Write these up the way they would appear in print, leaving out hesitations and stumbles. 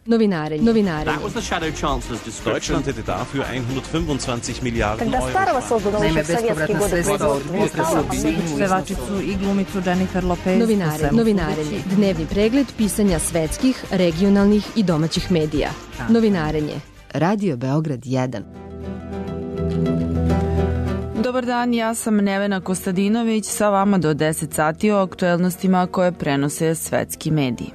Novinarenje. Deutschland hätte dafür 125 Milijarden Euro. Naime, bespovratna sredstva od pevačicu i glumicu Jennifer Lopez. Novinarenje. Dnevni pregled pisanja svetskih, regionalnih i domaćih medija. Novinarenje. Radio Beograd 1. Dobar dan, ja sam Nevena Kostadinović, sa vama do 10 sati o aktuelnostima koje prenose svetski mediji.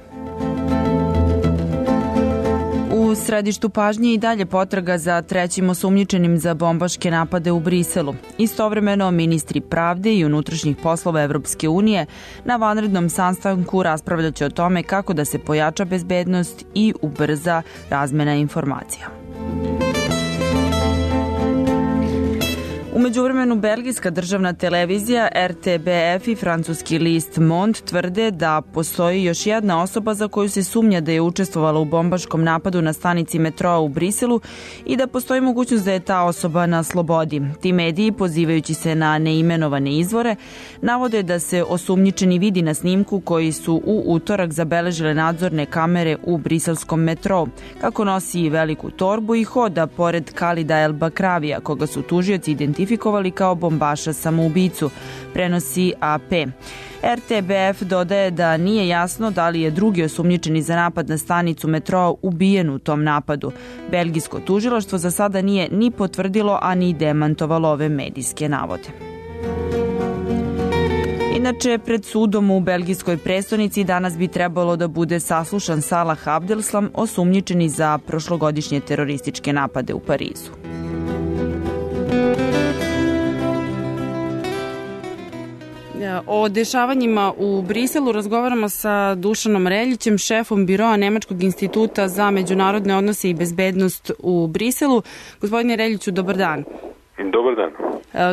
U središtu pažnje i dalje potraga za trećim osumnjičenim za bombaške napade u Briselu. Istovremeno, ministri pravde i unutrašnjih poslova Evropske unije na vanrednom sastanku raspravljaće o tome kako da se pojača bezbednost i ubrza razmena informacija. U međuvremenu, belgijska državna televizija RTBF i francuski list Monde tvrde da postoji još jedna osoba za koju se sumnja da je učestvovala u bombaškom napadu na stanici metroa u Briselu i da postoji mogućnost da je ta osoba na slobodi. Ti mediji, pozivajući se na neimenovane izvore, navode da se osumnjičeni vidi na snimku koji su u utorak zabeležile nadzorne kamere u briselskom metrou, kako nosi veliku torbu i hoda pored Khalida El Bakravija, koga su tužioci identifikovali kao bombaša samoubicu, prenosi AP. RTBF dodaje da nije jasno da li je drugi osumnjičeni za napad na stanicu metroa ubijen u tom napadu. Belgijsko tužilaštvo za sada nije ni potvrdilo, a ni demantovalo ove medijske navode. Inače, pred sudom u belgijskoj prestonici danas bi trebalo da bude saslušan Salah Abdeslam, osumnjičeni za prošlogodišnje terorističke napade u Parizu. O dešavanjima u Briselu razgovaramo sa Dušanom Reljićem, šefom biroa Nemačkog instituta za međunarodne odnose i bezbednost u Briselu. Gospodine Reljiću, dobar dan. Dobar dan.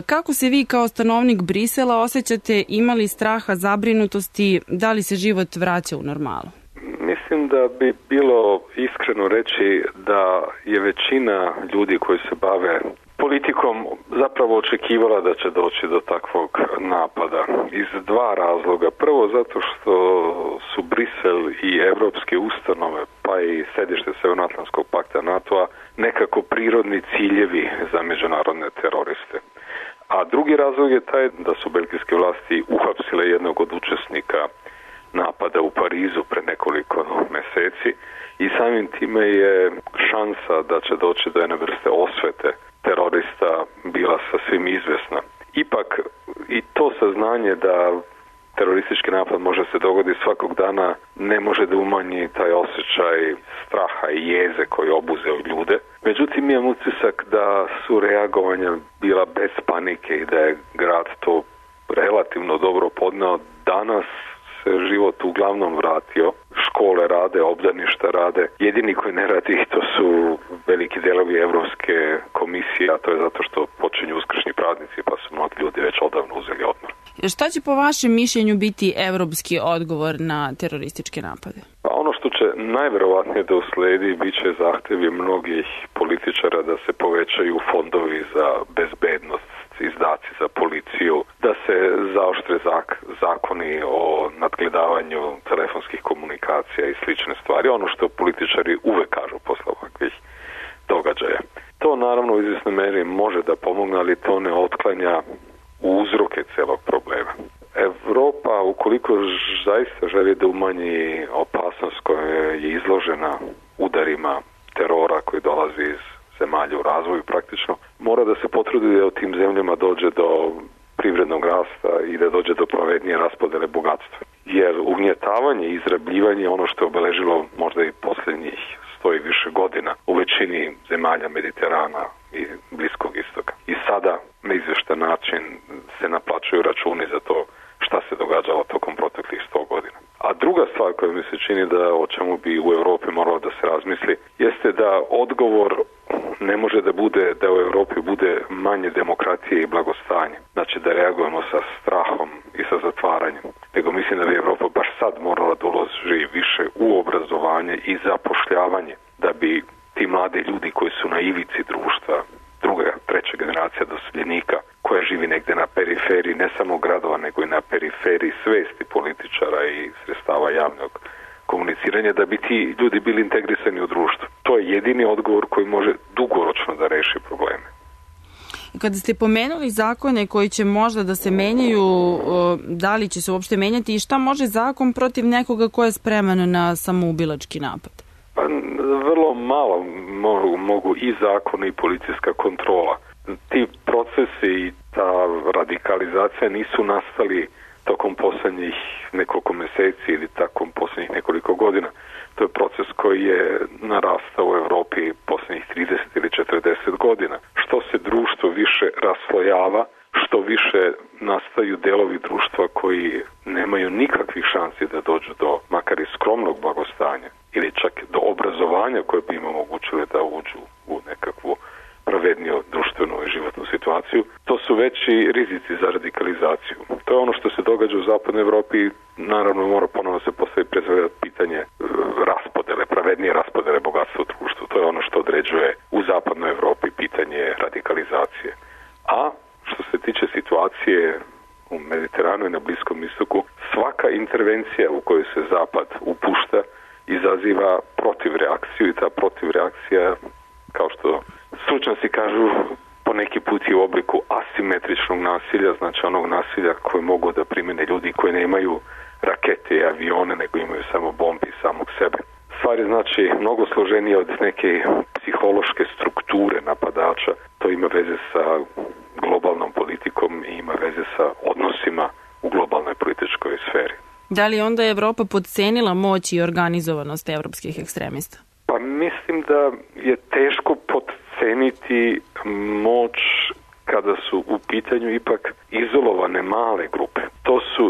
Kako se vi kao stanovnik Brisela osjećate, imali straha, zabrinutosti, da li se život vraća u normalu? Mislim da bi bilo iskreno reći da je većina ljudi koji se bave politikom zapravo očekivala da će doći do takvog napada iz dva razloga. Prvo zato što su Brisel i evropske ustanove, pa i sedište Severnoatlantskog pakta NATO-a nekako prirodni ciljevi za međunarodne teroriste. A drugi razlog je taj da su belgijske vlasti uhapsile jednog od učesnika napada u Parizu pre nekoliko meseci i samim time je šansa da će doći do jedne vrste osvete terorista bila sasvim izvesna. Ipak i to saznanje da teroristički napad može se dogoditi svakog dana ne može da umanji taj osjećaj straha i jeze koji obuzeo ljude. Međutim, imam utisak da su reagovanja bila bez panike i da je grad to relativno dobro podneo. Danas se život uglavnom vratio, škole rade, obdaništa rade. Jedini koji ne radi to su veliki delovi Evropske komisije, a to je zato što počinju uskršnji praznici pa su mnogi ljudi već odavno uzeli odmor. Šta će po vašem mišljenju biti evropski odgovor na terorističke napade? Pa ono što će najverovatnije da usledi bit će zahtevi mnogih političara da se povećaju fondovi za bezbednost, izdaci za policiju, da se zaoštre zakoni o nadgledavanju telefonskih komunikacija i slične stvari, ono što političari uvek kažu posle ovakvih događaja. To naravno u izvjesnoj meri može da pomogne, ali to ne otklanja uzroke celog problema. Evropa, ukoliko zaista želi da umanji opasnost koja je izložena udarima terora koji dolazi iz zemalja u razvoju praktično, mora da se potrudi da u tim zemljama dođe do privrednog rasta i da dođe do pravednije raspodele bogatstva. Jer ugnjetavanje i izrabljivanje je ono što je obeležilo možda i posljednjih 100 i više godina u većini zemalja Mediterana i Bliskog istoka. I sada na izveštan način se naplaćuju računi za to šta se događalo tokom proteklih 100 godina. A druga stvar koja mi se čini da o čemu bi u Evropi moralo da se razmisli jeste da odgovor ne može da bude da u Evropi bude manje demokratije i blagostanje. Znači da reagujemo sa strahom i sa zatvaranjem. Nego mislim da bi Evropa baš sad morala da uloži više u obrazovanje i zapošljavanje da bi ti mladi ljudi koji su na ivici društva, druga, treća generacija doseljenika koja živi negde na periferiji ne samo gradova nego i na periferiji svesti političara i sredstava javnog komuniciranja da bi ti ljudi bili integrisani u društvu. To je jedini odgovor koji može dugoročno da reši probleme. Kada ste pomenuli zakone koji će možda da se menjaju, da li će se uopšte menjati i šta može zakon protiv nekoga ko je spreman na samoubilački napad? Pa, vrlo malo mogu i zakon i policijska kontrola. Ti procesi i ta radikalizacija nisu nastali tokom posljednjih nekoliko meseci ili tokom posljednjih nekoliko godina. To je proces koji je narastao u Evropi posljednjih 30 ili 40 godina. Što se društvo više raslojava, što više nastaju delovi društva koji nemaju nikakvih šansi da dođu do makar i skromnog blagostanja ili čak do obrazovanja koje bi im omogućile da uđu u nekakvu pravedniju društvenu i životnu situaciju, to su veći rizici za radikalizaciju. To je ono što se događa u zapadnoj Evropi. Naravno, mora ponovno se postaviti pre svega pitanje raspodele, pravednije raspodele bogatstva u društvu. To je ono što određuje u zapadnoj Evropi pitanje radikalizacije. A što se tiče situacije u Mediteranu i na Bliskom istoku, svaka intervencija u kojoj se Zapad upušta izaziva protivreakciju i ta protivreakcija, kao što stručnjaci kažu, po neki put i u obliku asimetričnog nasilja, znači onog nasilja koje mogu da primene ljudi koji nemaju rakete i avione, nego imaju samo bombi samog sebe. Stvar je znači mnogo složenije od neke psihološke strukture napadača. To ima veze sa globalnom politikom i ima veze sa odnosima u globalnoj političkoj sferi. Da li onda je Evropa podcenila moć i organizovanost evropskih ekstremista? Pa mislim da je teško podceniti moć kada su u pitanju ipak izolovane male grupe.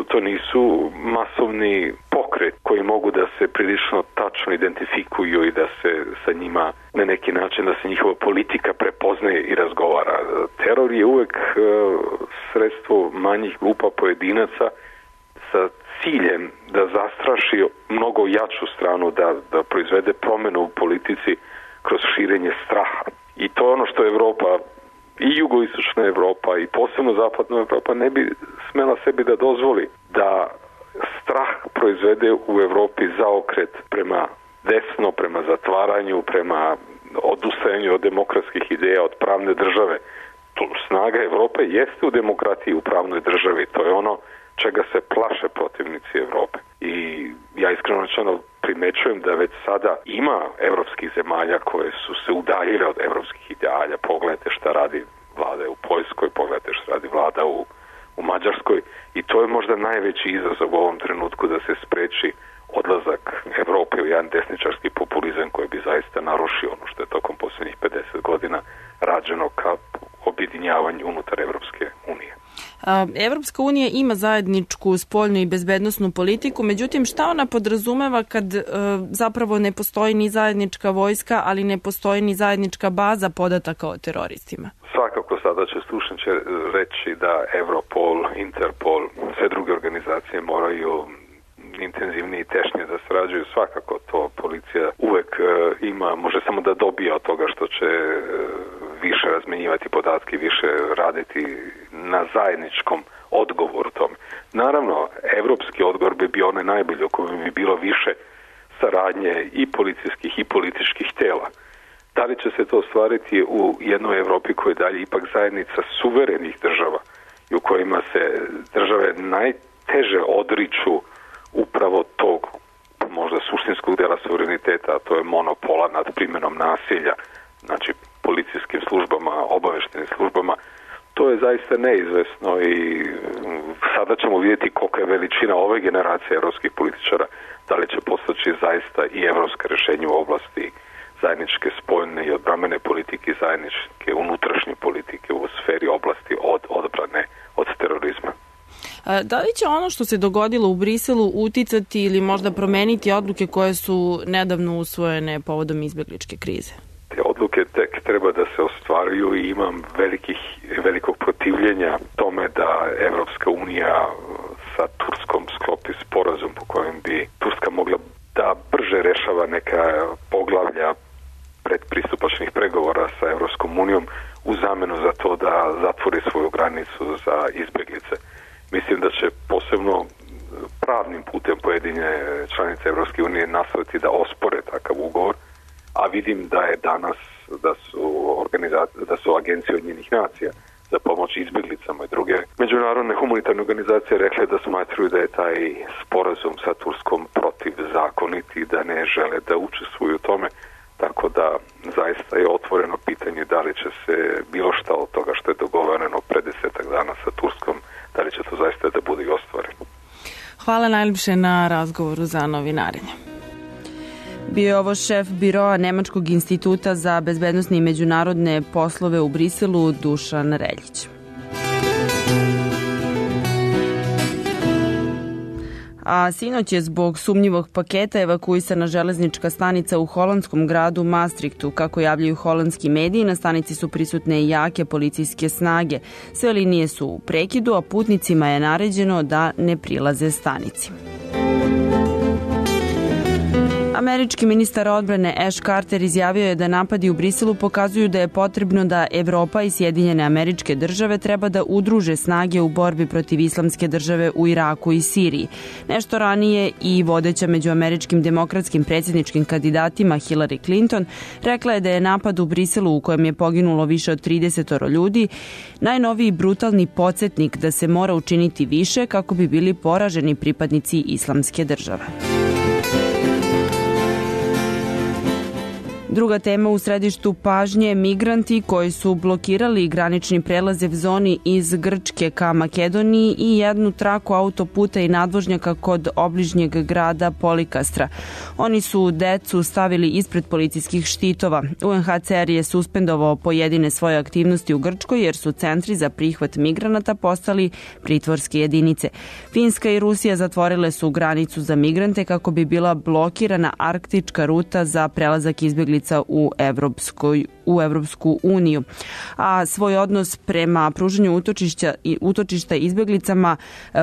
To nisu masovni pokret koji mogu da se prilično tačno identifikuju i da se sa njima na neki način, da se njihova politika prepoznaje i razgovara. Teror je uvek sredstvo manjih grupa pojedinaca sa ciljem da zastraši mnogo jaču stranu, da proizvede promenu u politici kroz širenje straha. I to je ono što Evropa i jugoistočna Evropa i posebno zapadna Evropa ne bi smela sebi da dozvoli da strah proizvede u Evropi zaokret prema desno, prema zatvaranju, prema odustajanju od demokratskih ideja, od pravne države. Snaga Evrope jeste u demokratiji, u pravnoj državi. To je ono čega se plaše protivnici Evrope. I ja iskreno rečeno primećujem da već sada ima evropskih zemalja koje su se udaljile od evropskih idealja. Pogledajte šta radi vlada u Poljskoj, pogledajte šta radi vlada u Mađarskoj i to je možda najveći izazov u ovom trenutku da se spreči odlazak Evrope u jedan desničarski populizam koji bi zaista narušio ono što je tokom posljednjih 50 godina rađeno ka objedinjavanju unutar Evropske unije. Evropska unija ima zajedničku spoljnu i bezbednosnu politiku, međutim šta ona podrazumeva kad zapravo ne postoji ni zajednička vojska, ali ne postoji ni zajednička baza podataka o teroristima? Svakako sada će stručnjaci reći da Europol, Interpol, sve druge organizacije moraju intenzivnije i tešnje da sarađuju. Svakako to policija uvek ima, može samo da dobije od toga što će više razmenjivati podatke, više raditi na zajedničkom odgovoru tome. Naravno, evropski odgovor bi bio onaj najbolji, u kojem bi bilo više saradnje i policijskih i političkih tela. Da li će se to ostvariti u jednoj Evropi koja je dalje ipak zajednica suverenih država i u kojima se države najteže odriču upravo tog možda suštinskog dela suvereniteta, a to je monopola nad primjenom nasilja, znači policijskim službama, obaveštenim službama, to je zaista neizvesno i sada ćemo vidjeti kolika je veličina ove generacije evropskih političara, da li će postaći zaista i evropska rješenja u oblasti zajedničke spoljne i odbrambene politike i zajedničke unutrašnje politike u sferi oblasti od odbrane od terorizma. Da li će ono što se dogodilo u Briselu uticati ili možda promeniti odluke koje su nedavno usvojene povodom izbegličke krize? Te odluke tek treba da se ostvaruju i imam velikog protivljenja tome da Evropska unija sa Turskom sklopi sporazum po kojem bi Turska mogla da brže rešava neka poglavlja predpristupačnih pregovora sa Evropskom unijom u zamenu za to da zatvori svoju granicu za izbeglice. Mislim da će posebno pravnim putem pojedine članice Evropske unije a vidim da je danas da su agencije Ujedinjenih nacija za pomoć izbjeglicama i druge međunarodne humanitarne organizacije rekle da smatruju da je taj sporazum sa Turskom protivzakonit i da ne žele da učestvuju u tome, tako da zaista je otvoreno pitanje da li će se bilo šta od toga što je dogovoreno pre 10 dana sa Turskom, da li će to zaista da bude i ostvareno. Hvala najljepše na razgovoru za Novinarenje. Bio je ovo šef biroa Nemačkog instituta za bezbednosne i međunarodne poslove u Briselu, Dušan Reljić. A sinoć je zbog sumnjivog paketa evakuisana železnička stanica u holandskom gradu Maastrichtu. Kako javljaju holandski mediji, na stanici su prisutne jake policijske snage. Sve linije su u prekidu, a putnicima je naređeno da ne prilaze stanici. Američki ministar odbrane Ash Carter izjavio je da napadi u Briselu pokazuju da je potrebno da Evropa i Sjedinjene Američke Države treba da udruže snage u borbi protiv islamske države u Iraku i Siriji. Nešto ranije i vodeća među američkim demokratskim predsjedničkim kandidatima Hillary Clinton rekla je da je napad u Briselu u kojem je poginulo više od 30 ljudi najnoviji brutalni podsjetnik da se mora učiniti više kako bi bili poraženi pripadnici islamske države. Druga tema u središtu pažnje, migranti koji su blokirali granični prelaze v zoni iz Grčke ka Makedoniji i jednu traku autoputa i nadvožnjaka kod obližnjeg grada Polikastra. Oni su decu stavili ispred policijskih štitova. UNHCR je suspendovao pojedine svoje aktivnosti u Grčkoj jer su centri za prihvat migranata postali pritvorske jedinice. Finska i Rusija zatvorile su granicu za migrante kako bi bila blokirana arktička ruta za prelazak izbjeglica u Evropsku uniju. A svoj odnos prema pružanju utočišta izbjeglicama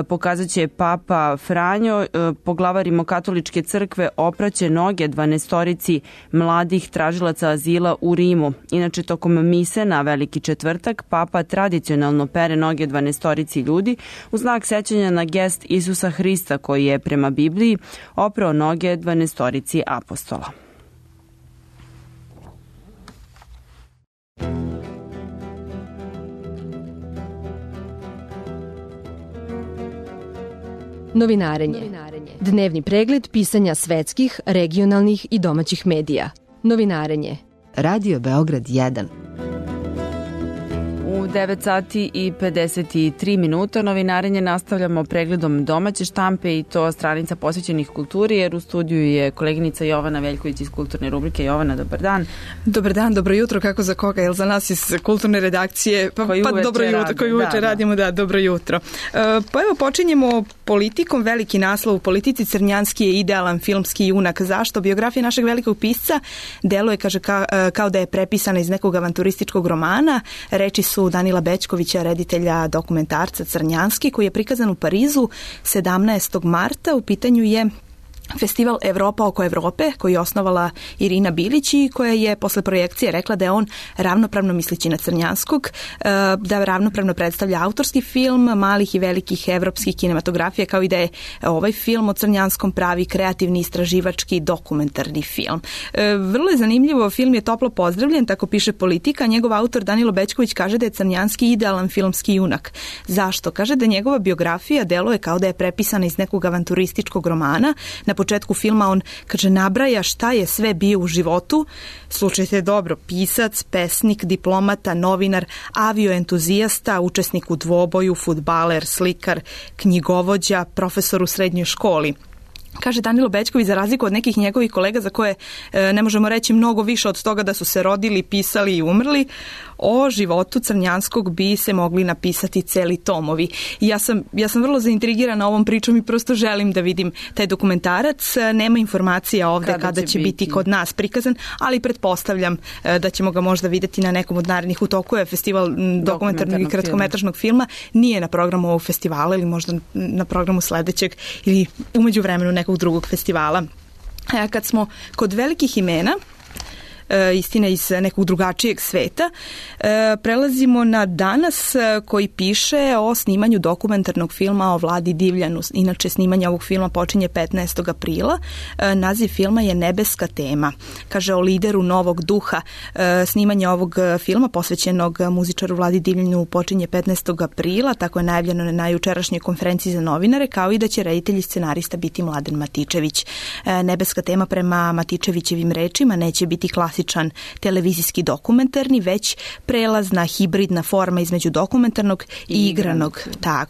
pokazat će Papa Franjo. Poglavar Rimokatoličke crkve opraće noge 12 mladih tražilaca azila u Rimu. Inače, tokom mise na Veliki četvrtak Papa tradicionalno pere noge 12 ljudi u znak sećanja na gest Isusa Hrista koji je prema Bibliji oprao noge 12 apostola. Novinarenje. Dnevni pregled pisanja svetskih, regionalnih i domaćih medija. Novinarenje. Radio Beograd 1. U 9 sati i 53 minuta novinarenje nastavljamo pregledom domaće štampe i to stranica posvećenih kulturi, jer u studiju je koleginica Jovana Veljković iz kulturne rubrike. Jovana, dobar dan. Dobar dan, dobro jutro, kako za koga, jel za nas iz kulturne redakcije, dobro jutro, koji uveče radimo, da, dobro jutro. Pa evo počinjemo politikom, veliki naslov u politici, Crnjanski je idealan filmski junak. Zašto? Biografija našeg velikog pisca deluje, kaže, kao da je prepisana iz nekog avanturističkog romana. Reči su Danila Bećkovića, reditelja dokumentarca Crnjanski, koji je prikazan u Parizu 17. marta. U pitanju je Festival Evropa oko Evrope, koji je osnovala Irina Bilić i koja je posle projekcije rekla da je on ravnopravno misleći na Crnjanskog, da ravnopravno predstavlja autorski film malih i velikih evropskih kinematografija, kao i da je ovaj film o Crnjanskom pravi kreativni istraživački dokumentarni film. Vrlo je zanimljivo, film je toplo pozdravljen, tako piše Politika. Njegov autor Danilo Bećković kaže da je Crnjanski idealan filmski junak. Zašto? Kaže da njegova biografija deluje kao da je prepisana iz nekog avanturističkog romana. Na početku filma on, kaže, nabraja šta je sve bio u životu. Slušajte dobro, pisac, pesnik, diplomata, novinar, avioentuzijasta, učesnik u dvoboju, fudbaler, slikar, knjigovođa, profesor u srednjoj školi. Kaže Danilo Bećković, za razliku od nekih njegovih kolega za koje ne možemo reći mnogo više od toga da su se rodili, pisali i umrli, o životu Crnjanskog bi se mogli napisati celi tomovi. I ja sam vrlo zaintrigirana ovom pričom i prosto želim da vidim taj dokumentarac. Nema informacija ovde kada će biti kod nas prikazan, ali pretpostavljam da ćemo ga možda videti na nekom od narednih. U toku je festival dokumentarnog i kratkometražnog filma. Nije na programu ovog festivala ili možda na programu sledećeg ili umeđu vremenu nekog drugog festivala. Kad smo kod velikih imena, istina iz nekog drugačijeg sveta. Prelazimo na Danas koji piše o snimanju dokumentarnog filma o Vladi Divljanu. Inače, snimanje ovog filma počinje 15. aprila. Naziv filma je Nebeska tema. Kaže o lideru novog duha. Snimanje ovog filma posvećenog muzičaru Vladi Divljanu počinje 15. aprila, tako je najavljeno na jučerašnjoj konferenciji za novinare, kao i da će reditelj i scenarista biti Mladen Matičević. Nebeska tema prema Matičevićevim rečima neće biti klasičan televizijski dokumentarni, već prelazna hibridna forma između dokumentarnog i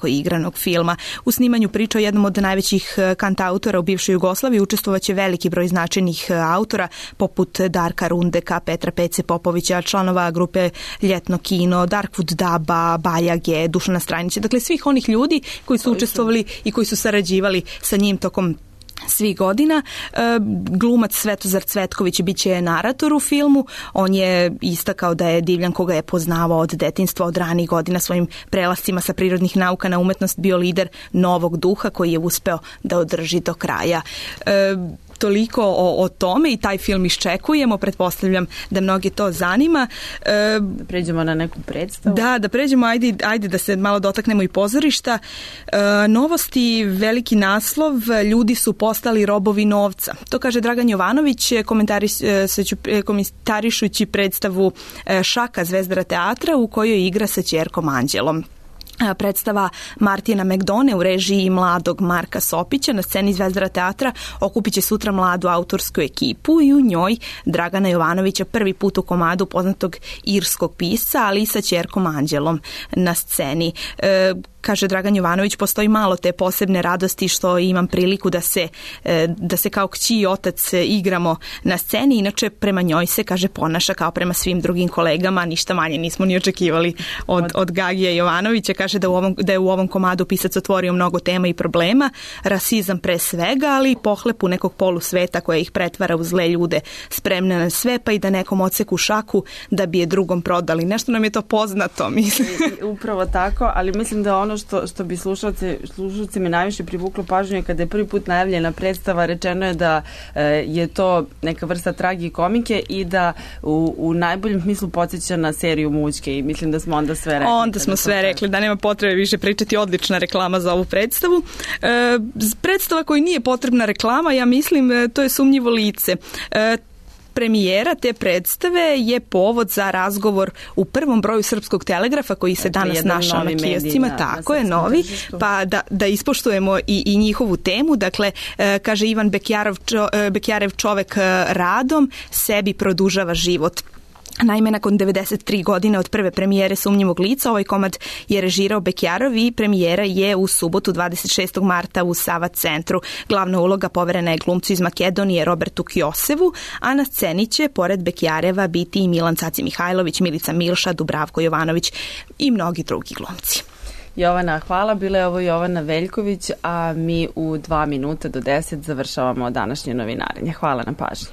igranog filma. U snimanju priča o jednom od najvećih kantautora u bivšoj Jugoslaviji učestvovaće veliki broj značajnih autora poput Darka Rundeka, Petra Pece Popovića, članova grupe Ljetno kino, Darkwood Daba, Bajage, Dušana Strajnića, dakle svih onih ljudi koji su učestvovali i koji su sarađivali sa njim tokom svih godina. Glumac Svetozar Cvetković biće narator u filmu. On je istakao da je Divljan, koga je poznavao od detinjstva, od ranih godina, svojim prelascima sa prirodnih nauka na umetnost bio lider novog duha koji je uspeo da održi do kraja. Toliko o tome i taj film iščekujemo, pretpostavljam da mnoge to zanima. Da pređemo na neku predstavu. Da pređemo, ajde da se malo dotaknemo i pozorišta. Novosti, veliki naslov, ljudi su postali robovi novca. To kaže Dragan Jovanović, komentarišući predstavu Šaka Zvezdara teatra u kojoj igra sa ćerkom Anđelom. Predstava Martina Megdone u režiji mladog Marka Sopića na sceni Zvezdara teatra okupit će sutra mladu autorsku ekipu i u njoj Dragana Jovanovića prvi put u komadu poznatog irskog pisca, ali i sa ćerkom Anđelom na sceni. Kaže Dragan Jovanović, postoji malo te posebne radosti što imam priliku da se kao kći i otac igramo na sceni, inače prema njoj se, kaže, ponaša kao prema svim drugim kolegama, ništa manje nismo ni očekivali od Gagija Jovanovića. Kaže da je u ovom komadu pisac otvorio mnogo tema i problema, rasizam pre svega, ali i pohlepu nekog polusveta koja ih pretvara u zle ljude, spremne na sve, pa i da nekom odseku šaku da bi je drugom prodali. Nešto nam je to poznato, mislim. Upravo tako, ali mislim da ono što bi slušalci me najviše privuklo pažnju je kada je prvi put najavljena predstava, rečeno je da je to neka vrsta tragikomike i da u najboljem smislu podsjeća na seriju Mućke i mislim da smo onda sve rekli. Onda smo sve rekli, da nema potrebe više pričati, odlična reklama za ovu predstavu. Predstava koja nije potrebna reklama, ja mislim, to je Sumnjivo lice. Premijera te predstave je povod za razgovor u prvom broju Srpskog telegrafa koji se danas našao na kioscima, tako je, novi, pa da ispoštujemo i njihovu temu. Dakle, kaže Ivan Bekjarev, čovek radom sebi produžava život. Naime, nakon 93 godine od prve premijere Sumnjivog lica, ovaj komad je režirao Bekjarov i premijera je u subotu 26. marta u Sava centru. Glavna uloga poverena je glumcu iz Makedonije Robertu Kjosevu, a na sceni će pored Bekjareva biti i Milan Caci Mihajlović, Milica Milša, Dubravko Jovanović i mnogi drugi glumci. Jovana, hvala. Bila je ovo Jovana Veljković, a mi u 2 minuta do 10 završavamo današnje novinarenje. Hvala na pažnji.